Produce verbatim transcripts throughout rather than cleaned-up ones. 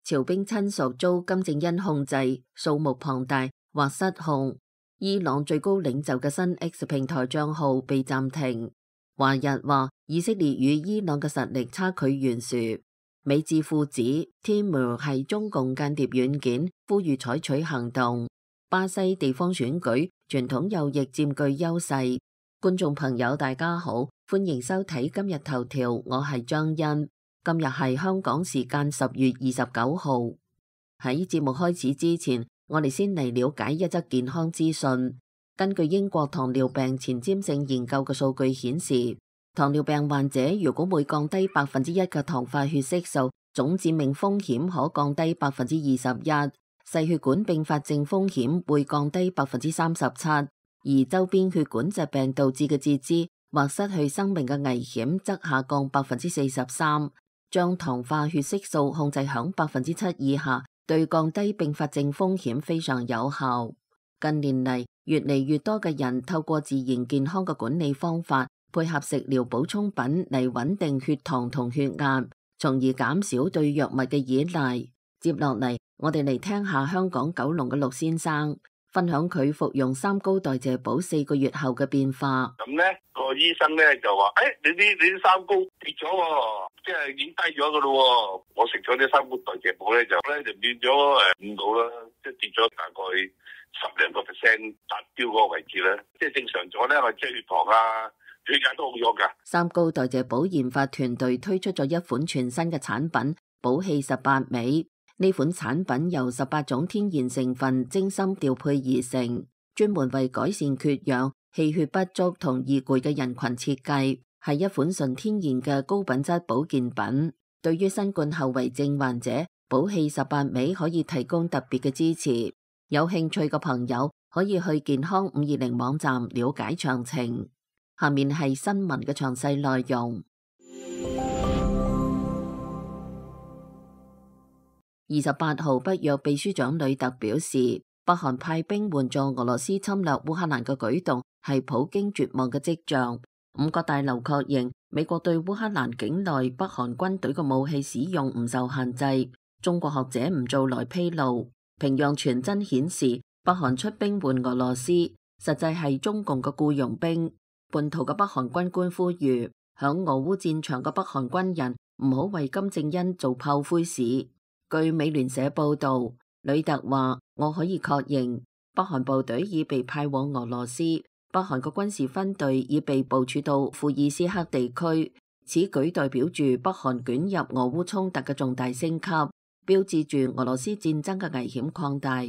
朝兵親屬遭金正恩控制，數目龐大或失控。伊朗最高領袖嘅新 X 平台賬號被暫停。華日話以色列與伊朗嘅實力差距懸殊。美智庫指 Timur 係中共間諜軟件，呼籲採取行動。巴西地方選舉傳統右翼佔據優勢。觀眾朋友大家好，歡迎收睇今日頭條，我係張欣。今日係香港時間十月二十九號。喺節目開始之前，我哋先嚟了解一則健康資訊。根據英國糖尿病前瞻性研究嘅數據顯示，糖尿病患者如果每降低百分之一嘅糖化血色素，總致命風險可降低百分之二十一，細血管併發症風險會降低百分之三十七，而周邊血管疾病導致嘅截肢或失去生命嘅危險則下降百分之四十三。將糖化血色素控制響百分之七以下，對降低併發症風險非常有效。近年嚟，越嚟越多嘅人透過自然健康嘅管理方法，配合食療補充品嚟穩定血糖同血壓，從而減少對藥物嘅依賴。接落嚟，我哋嚟聽下香港九龍嘅陸先生分享佢服用三高代謝寶四個月後嘅變化。咁呢個醫生呢就話：誒、哎，你啲你啲三高跌咗，即係已經低咗噶咯。我食咗啲三高代謝寶咧，就咧就變咗誒五度啦，即係跌咗大概十零個 percent 達標嗰個位置咧。即係正常咗咧，我即係血糖啊、血壓都好咗噶。三高代謝寶研發團隊推出咗一款全新嘅產品寶氣十八味。呢款產品由十八種天然成分精心調配而成，專門為改善缺氧、氣血不足同易攰嘅人群設計，係一款純天然嘅高品質保健品。對於新冠後遺症患者，寶氣十八味可以提供特別嘅支持。有興趣嘅朋友可以去健康五二零網站了解詳情。下面係新聞嘅詳細內容。二十八號，北約秘書長呂特表示，北韓派兵援助俄羅斯侵略烏克蘭嘅舉動係普京絕望嘅跡象。五角大樓確認，美國對烏克蘭境內北韓軍隊嘅武器使用唔受限制。中國學者吳鑿來披露，平壤傳真顯示，北韓出兵援俄羅斯，實際係中共嘅僱傭兵。叛逃嘅北韓軍官呼籲，響俄烏戰場嘅北韓軍人唔好為金正恩做炮灰屎。據美聯社報道，呂特話：我可以確認，北韓部隊已被派往俄羅斯，北韓嘅軍事分隊已被部署到庫爾斯克地區。此舉代表住北韓捲入俄烏衝突嘅重大升級，標誌住俄羅斯戰爭嘅危險擴大。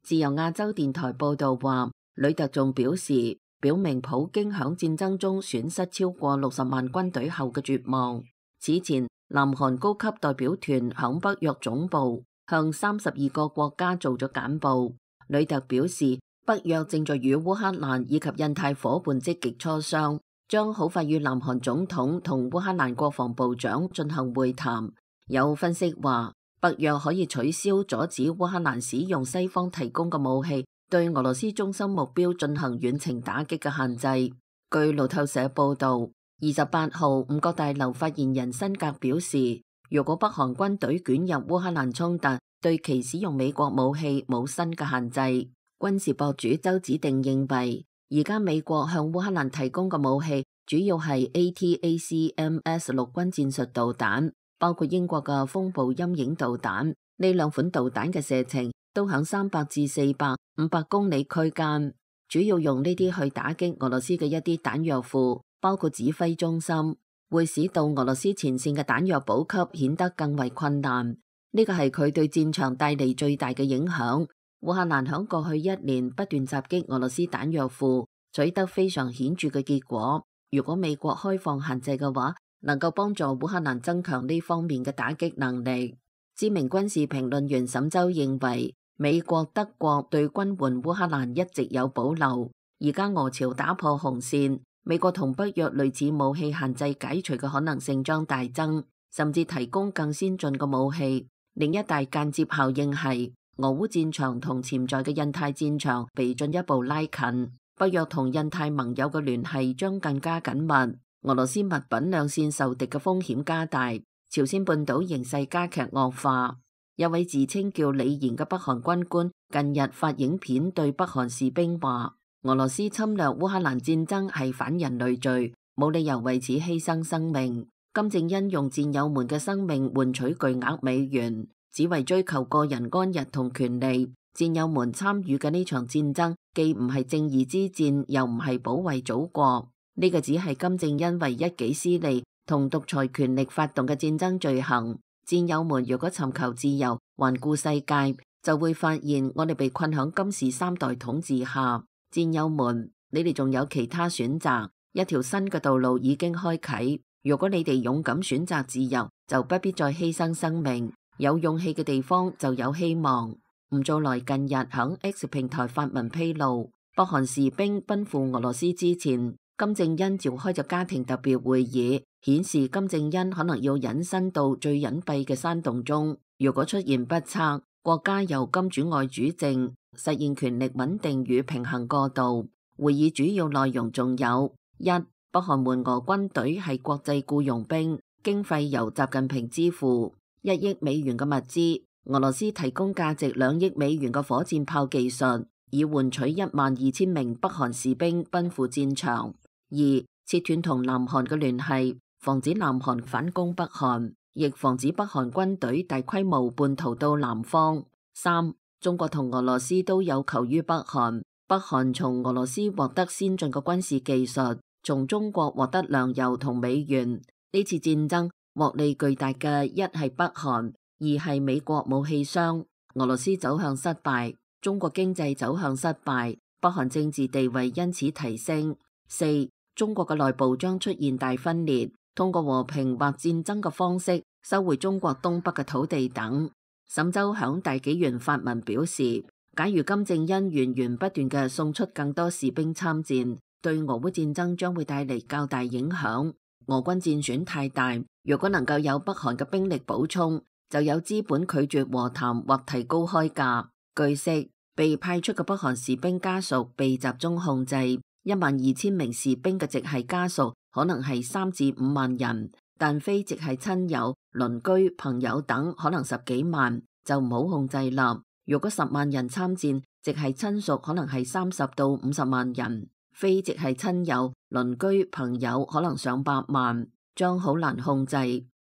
自由亞洲電台報道話，呂特仲表示，表明普京響戰爭中損失超過六十萬軍隊後嘅絕望。此前，南韓高級代表團響北約總部向三十二個國家做咗簡報。呂特表示，北約正在與烏克蘭以及印太夥伴積極磋商，將好快與南韓總統同烏克蘭國防部長進行會談。有分析話，北約可以取消阻止烏克蘭使用西方提供嘅武器，對俄羅斯中心目標進行遠程打擊嘅限制。據路透社報道，二十八號，五角大樓發言人辛格表示，如果北韓軍隊捲入烏克蘭衝突，對其使用美國武器冇新嘅限制。軍事博主周子定認為，而家美國向烏克蘭提供嘅武器主要係 A T A C M S 陸軍戰術導彈，包括英國嘅風暴陰影導彈。呢兩款導彈嘅射程都響三百至四百、五百公里區間，主要用呢啲去打擊俄羅斯嘅一啲彈藥庫，包括指揮中心，會使到俄羅斯前線嘅彈藥補給顯得更為困難。呢個係佢對戰場帶嚟最大嘅影響。烏克蘭響過去一年不斷襲擊俄羅斯彈藥庫，取得非常顯著嘅結果。如果美國開放限制嘅話，能夠幫助烏克蘭增強呢方面嘅打擊能力。知名軍事評論員沈周認為，美國、德國對軍援烏克蘭一直有保留，而家俄朝打破紅線，美國同北約類似武器限制解除嘅可能性將大增，甚至提供更先進嘅武器。另一大間接效應係，俄烏戰場同潛在嘅印太戰場被進一步拉近，北約同印太盟友嘅聯繫將更加緊密，俄羅斯物品兩線受敵嘅風險加大，朝鮮半島形勢加劇惡化。有位自稱叫李賢嘅北韓軍官近日發影片對北韓士兵話：俄羅斯侵略烏克蘭戰爭係反人類罪，冇理由為此犧牲生命。金正恩用戰友們嘅生命換取巨額美元，只為追求個人安逸同權利。戰友們參與嘅呢場戰爭，既唔係正義之戰，又唔係保衛祖國。呢個只係金正恩為一己私利同獨裁權力發動嘅戰爭罪行。戰友們如果尋求自由，環顧世界，就會發現我哋被困響金氏三代統治下。戰友們，你哋仲有其他選擇，一條新嘅道路已經開啟。如果你哋勇敢選擇自由，就不必再犧牲生命。有勇氣嘅地方就有希望。吳祖來近日響 X 平台發文披露，北韓士兵奔赴俄羅斯之前，金正恩召開咗家庭特別會議，顯示金正恩可能要隱身到最隱蔽嘅山洞中。如果出現不測，國家由金主外主政，實現權力穩定與平衡過渡。會議主要內容仲有：一、北韓援俄軍隊係國際僱傭兵，經費由習近平支付，一億美元嘅物資。俄羅斯提供價值兩億美元嘅火箭炮技術，以換取一萬二千名北韓士兵奔赴戰場。二、切斷同南韓嘅聯繫，防止南韓反攻北韓，亦防止北韓軍隊大規模叛逃到南方。三、中國同俄羅斯都有求於北韓，北韓從俄羅斯獲得先進嘅軍事技術，從中國獲得糧油同美元。呢次戰爭獲利巨大嘅一係北韓，二係美國武器商。俄羅斯走向失敗，中國經濟走向失敗，北韓政治地位因此提升。四、中國嘅內部將出現大分裂，通過和平或戰爭嘅方式收回中國東北嘅土地等。沈周響大紀元發文表示，假如金正恩源源不斷嘅送出更多士兵參戰，對俄烏戰爭將會帶嚟較大影響。俄軍戰損太大，如果能夠有北韓嘅兵力補充，就有資本拒絕和談或提高開價。據悉，被派出嘅北韓士兵家屬被集中控制，一萬二千名士兵嘅直系家屬可能係三至五萬人，但非直系親友、鄰居、朋友等可能十幾萬，就唔好控制啦。如果十萬人參戰，直系親屬可能係三十到五十萬人，非直系親友、鄰居、朋友可能上百萬，將好難控制。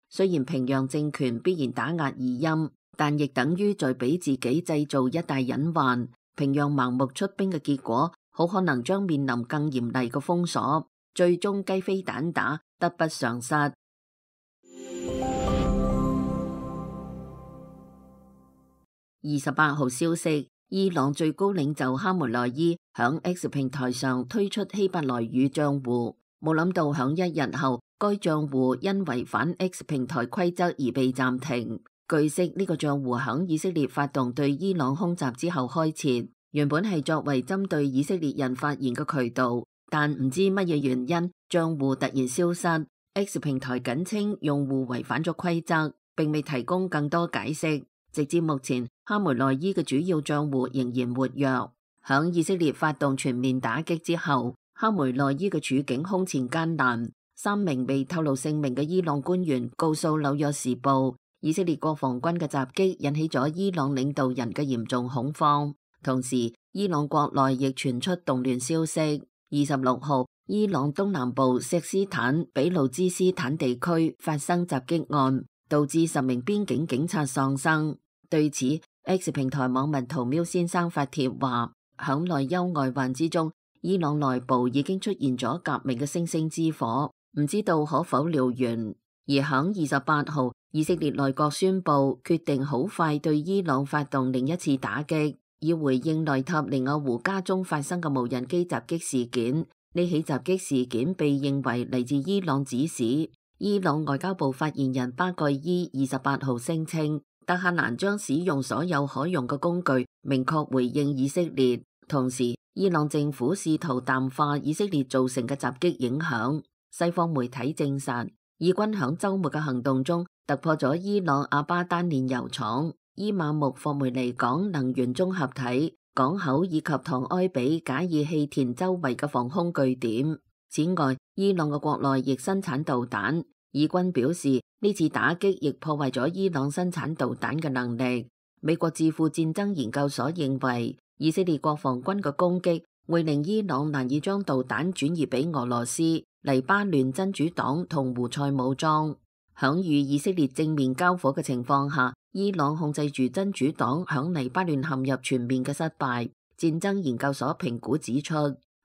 雖然平壤政權必然打壓異音，但亦等於在俾自己製造一大隱患。平壤盲目出兵嘅結果，好可能將面臨更嚴厲嘅封鎖，最終雞飛蛋打，得不償失。二十八號消息，伊朗最高領袖哈梅內伊響 X 平台上推出希伯來語賬戶，冇諗到響一日後，該賬戶因違反 X 平台規則而被暫停。據悉，呢個賬戶響以色列發動對伊朗空襲之後開設，原本係作為針對以色列人發言嘅渠道，但唔知乜嘢原因，賬戶突然消失。X 平台僅稱用戶違反咗規則，並未提供更多解釋。直至目前，哈梅內伊嘅主要賬戶仍然活躍。響以色列發動全面打擊之後，哈梅內伊嘅處境空前艱難。三名未透露姓名嘅伊朗官員告訴紐約時報，以色列國防軍嘅襲擊引起咗伊朗領導人嘅嚴重恐慌。同時，伊朗國內亦傳出動亂消息。二十六號，伊朗東南部錫斯坦比路茲斯坦地區發生襲擊案，導致十名邊境警察喪生。對此 ，X 平台網民屠喵先生發帖話：響內憂外患之中，伊朗內部已經出現咗革命嘅星星之火。唔知道可否燎原。而響二十八號，以色列內閣宣布決定好快對伊朗發動另一次打擊，以回應內塔尼亞胡家中發生嘅無人機襲擊事件。呢起襲擊事件被認為嚟自伊朗指使。伊朗外交部發言人巴蓋伊二十八號聲稱，德黑蘭將使用所有可用嘅工具，明確回應以色列。同時，伊朗政府試圖淡化以色列造成嘅襲擊影響。西方媒體證實，以軍響周末嘅行動中突破咗伊朗阿巴丹煉油廠、伊馬木霍梅尼港能源綜合體港口以及唐埃比賈爾氣田周圍嘅防空據點。此外，伊朗嘅國內亦生產導彈，以軍表示呢次打擊亦破壞咗伊朗生產導彈嘅能力。美國智庫戰爭研究所認為，以色列國防軍嘅攻擊會令伊朗難以將導彈轉移俾俄羅斯、黎巴嫩真主黨同胡塞武裝。響與以色列正面交火嘅情況下，伊朗控制住真主黨響黎巴嫩陷入全面嘅失敗。戰爭研究所評估指出，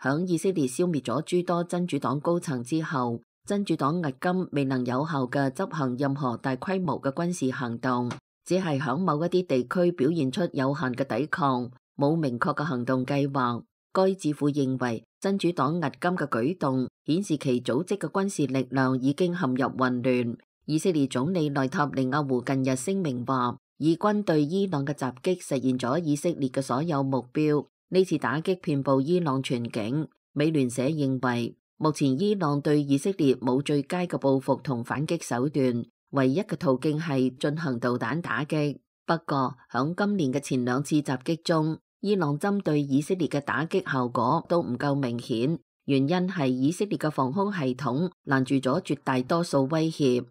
響以色列消滅咗諸多真主黨高層之後，真主黨迄今未能有效嘅執行任何大規模嘅軍事行動，只係響某一啲地區表現出有限嘅抵抗，冇明確嘅行動計劃。該智庫認為，真主黨迄今嘅舉動顯示其組織嘅軍事力量已經陷入混亂。以色列總理內塔尼亞胡近日聲明話，以軍對伊朗嘅襲擊實現咗以色列嘅所有目標。呢次打擊遍佈伊朗全境。美聯社認為，目前伊朗對以色列冇最佳嘅報復同反擊手段，唯一嘅途徑係進行導彈打擊。不過，響今年嘅前兩次襲擊中，伊朗針對以色列嘅打擊效果都唔夠明顯，原因係以色列嘅防空系統攔住咗絕大多數威脅。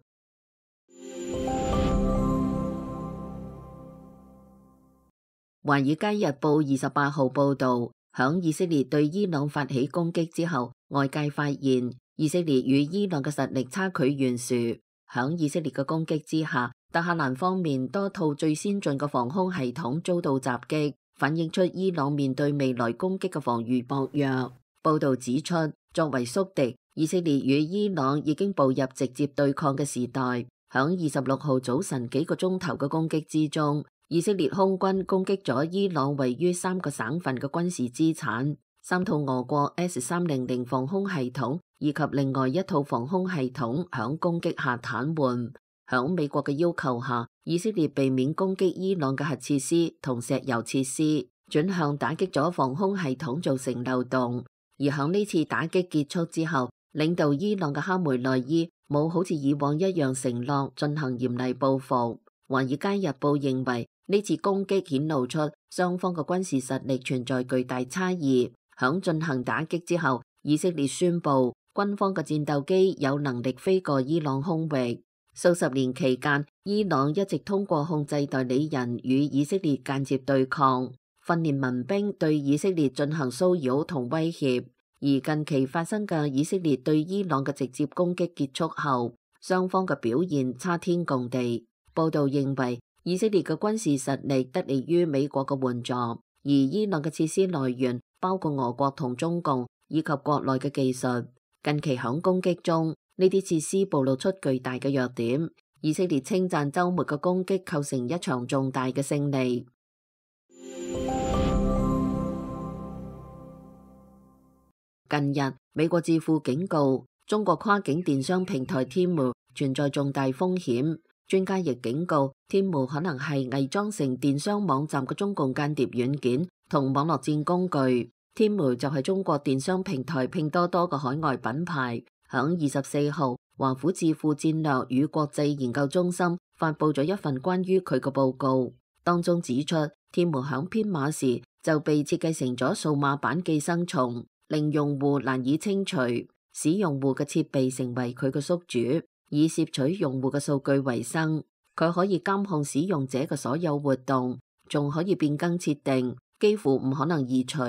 《華爾街日報》二十八號報導，響以色列對伊朗發起攻擊之後，外界發現以色列與伊朗嘅實力差距懸殊。響以色列嘅攻擊之下，德黑蘭方面多套最先進嘅防空系統遭到襲擊，反映出伊朗面對未來攻擊嘅防禦薄弱。報導指出，作為宿敵，以色列與伊朗已經步入直接對抗嘅時代。響二十六號早晨幾個鐘頭嘅攻擊之中，以色列空軍攻擊咗伊朗位於三個省份嘅軍事資產，三套俄國 S 三零零防空系統以及另外一套防空系統響攻擊下癱瘓。響美國嘅要求下，以色列避免攻擊伊朗嘅核設施同石油設施，轉向打擊咗防空系統造成漏洞。而響呢次打擊結束之後，領導伊朗嘅哈梅內伊冇好似以往一樣承諾進行嚴厲報復。華爾街日報認為，呢次攻擊顯露出雙方嘅軍事實力存在巨大差異。響進行打擊之後，以色列宣布軍方嘅戰鬥機有能力飛過伊朗空域。數十年期間，伊朗一直通過控制代理人與以色列間接對抗，訓練民兵對以色列進行騷擾同威脅。而近期發生嘅以色列對伊朗嘅直接攻擊結束後，雙方嘅表現差天共地。報道認為，以色列嘅軍事實力得利於美國嘅援助，而伊朗嘅設施來源包括俄國同中共以及國內嘅技術。近期響攻擊中，呢啲設施暴露出巨大嘅弱點。以色列稱讚週末嘅攻擊構成一場重大嘅勝利。近日，美國智庫警告中國跨境電商平台 Temu 存在重大風險。專家亦警告，Temu可能係偽裝成電商網站嘅中共間諜軟件同網絡戰工具。Temu 就係中國電商平台拼多多嘅海外品牌。響二十四號，華府智庫戰略與國際研究中心發佈咗一份關於佢嘅報告，當中指出，Temu響編碼時就被設計成咗數碼版寄生蟲，令用戶難以清除，使用戶嘅設備成為佢嘅宿主，以攝取用戶嘅數據為生。佢可以監控使用者嘅所有活動，仲可以變更設定，幾乎唔可能移除。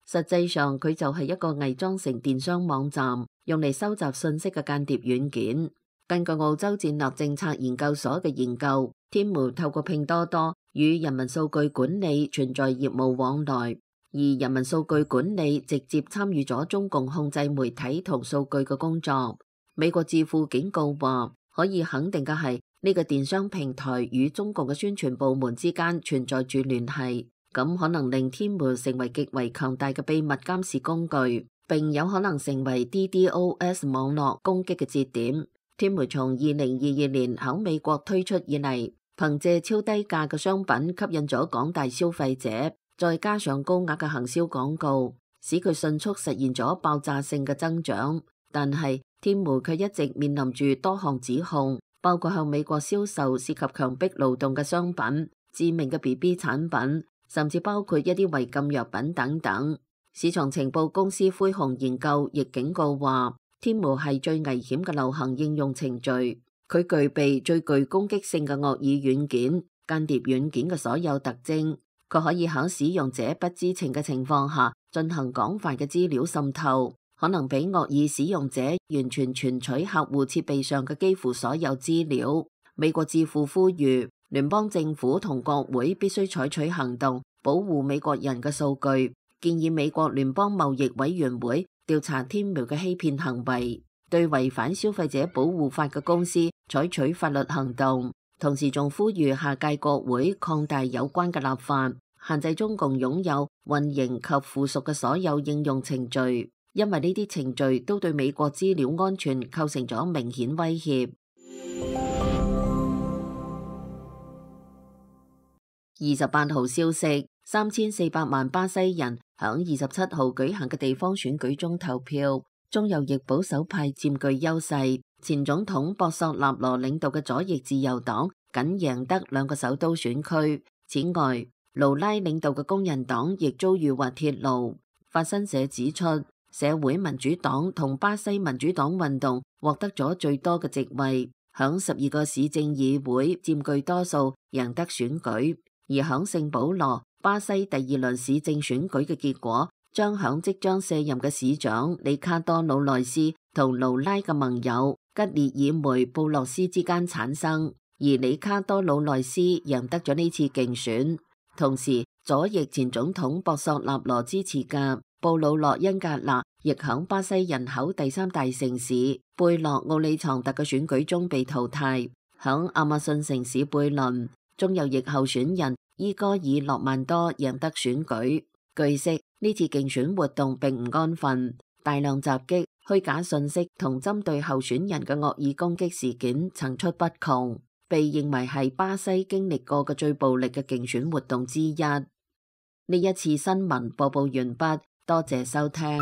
實際上，佢就係一個偽裝成電商網站，用嚟收集信息嘅間諜軟件。根據澳洲戰略政策研究所嘅研究，Temu透過拼多多與人民數據管理存在業務往來，而人民數據管理直接參與咗中共控制媒體同數據嘅工作。美國智庫警告話，可以肯定嘅係呢個電商平台與中共嘅宣傳部門之間存在住聯繫，咁可能令 Temu 成為極為強大嘅秘密監視工具，並有可能成為 D DoS 網絡攻擊嘅節點。Temu 從二零二二年喺美國推出以嚟，憑借超低價嘅商品吸引咗廣大消費者，再加上高額嘅行銷廣告，使佢迅速實現咗爆炸性嘅增長。但係 Temu 卻一直面臨住多項指控，包括向美國銷售涉及強迫勞動嘅商品、致命嘅 B B 產品，甚至包括一啲違禁藥品等等。市場情報公司灰熊研究亦警告話 Timu 係最危險嘅流行應用程序，佢具備最具攻擊性嘅惡意軟件、間諜軟件嘅所有特徵。佢可以喺使用者不知情嘅情況下進行廣泛嘅資料滲透，可能俾惡意使用者完全存取客戶設備上嘅幾乎所有資料。美國智庫呼籲聯邦政府同國會必須採取行動，保護美國人嘅數據，建議美國聯邦貿易委員會調查 Timu 嘅欺騙行為，對違反消費者保護法嘅公司採取法律行動。同時仲呼籲下屆國會擴大有關嘅立法，限制中共擁有、運營及附屬嘅所有應用程序，因為呢啲程序都對美國資料安全構成咗明顯威脅。二十八號消息，三千四百萬巴西人響二十七號舉行嘅地方選舉中投票，中右翼保守派佔據優勢。前總統博索納羅領導嘅左翼自由黨僅贏得兩個首都選區。此外，盧拉領導嘅工人黨亦遭遇滑鐵盧。法新社指出，社會民主黨同巴西民主黨運動獲得咗最多嘅席位，響十二個市政議會佔據多數，贏得選舉。而響聖保羅，巴西第二輪市政選舉嘅結果將響即將卸任嘅市長里卡多魯內斯同盧拉嘅盟友吉列爾梅布洛斯之間產生，而里卡多魯內斯贏得咗呢次競選。同時，左翼前總統博索納羅支持嘅布魯諾恩格納亦響巴西人口第三大城市貝洛奧里藏特嘅選舉中被淘汰。響亞馬遜城市貝倫，中右翼候選人伊戈爾洛曼多贏得選舉。據悉，呢次競選活動並唔安分，大量襲擊、虛假信息同針對候選人嘅惡意攻擊事件層出不窮，被認為係巴西經歷過嘅最暴力嘅競選活動之一。呢一次新聞播報完畢，多謝收聽。